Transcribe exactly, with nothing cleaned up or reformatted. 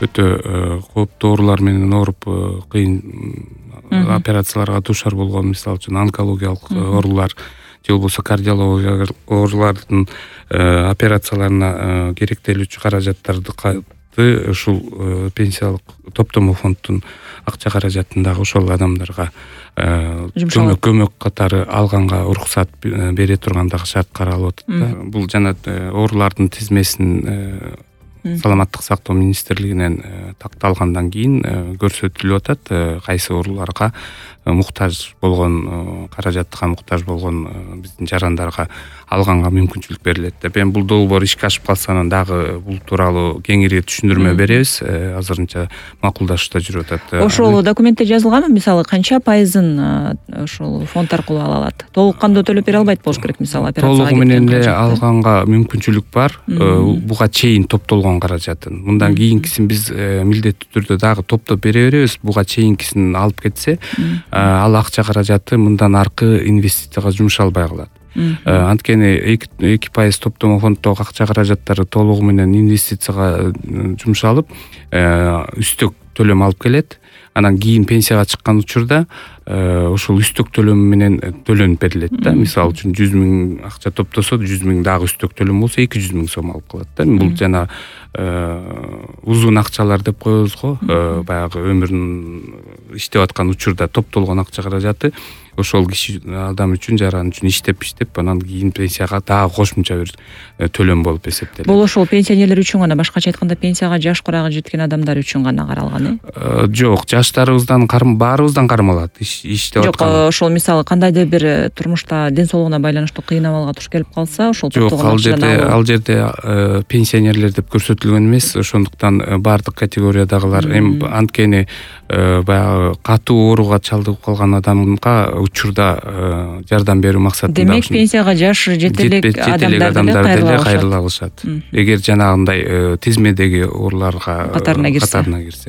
өтө кооптуу оорулар менен ооруп кыйын операцияларга дуушар болгон, мисалы үчүн онкологиялык оорулар же болбосо кардиологиялык оорулардын операцияларына керектелүүчү каражаттарды ушул пенсиялык топтомо фонддун акча каражатын дагы ошол адамдарга көмөк көмөк катары алганга уруксат бере турган дагы шарт каралып атат да. Бул жана оорулардын тизмесин саламаттык сактоо министрлигинен такталгандан кийин көрсөтүлүп атат, кайсы ооруларга муктаж болгон, каражатка муктаж болгон биздин жарандарга алганга мүмкүнчүлүк берилет деп. Эми бул долбоор ишке ашып калса анан дагы бул тууралуу кеңири түшүндүрмө беребиз. Азырынча макулдашууда жүрүп атат. Ошол документте жазылганбы, мисалы канча пайызын ошол фонд аркылуу ала алат? Толук кандуу төлөп бере албайт болуш керек, мисалы операцияга толугу менен эле алганга мүмкүнчүлүк бар. Буга чейин топтолгон каражатын. Мындан кийинкисин биз милдеттүү түрдө дагы топтоп бере беребиз. Буга чейинкисин алып кетсе, ал акча каражаты мындан аркы инвестицияга жумшалбай калат. Анткени эки пайыз топтомо фонддогу акча каражаттары толугу менен инвестицияга жумшалып, үстөк төлөм алып келет. Анан кийин пенсияга чыккан учурда ошол үстөк төлөм менен төлөнүп берилет да. Мисалы үчүн жүз миң акча топтосо, жүз миң дагы үстөк төлөм болсо эки жүз миң сом алып калат да. Бул жана узун акчалар деп коебуз го, баягы өмүрүн иштеп аткан учурда топтолгон акча каражаты ошол киши адам үчүн, жаран үчүн иштеп иштеп анан кийин пенсияга дагы кошумча бир төлөм болуп эсептелет. Бул ошол пенсионерлер үчүн гана, башкача айтканда пенсияга жаш курагы жеткен адамдар үчүн гана каралган, э? Жок, жаштарыбыздан баарыбыздан кармалат. Иштеп аткан. Жок, ошол мисалы кандайдыр бир турмушта ден соолугуна байланыштуу кыйын абалга туш келип калса, ошол топтогон акчадан алуу. Жок, ал жерде ал жерде пенсионерлер деп көрсөтүлгөн эмес, ошондуктан баардык категориядагылар, эми анткени баягы катуу ооруга чалдыгып калган адамга учурда жардам берүү максатында. Демек, пенсияга жаш жете элек адамдар деле кайрыла алышат. Эгер жанагындай тизмедеги ооруларга катарына кирсе.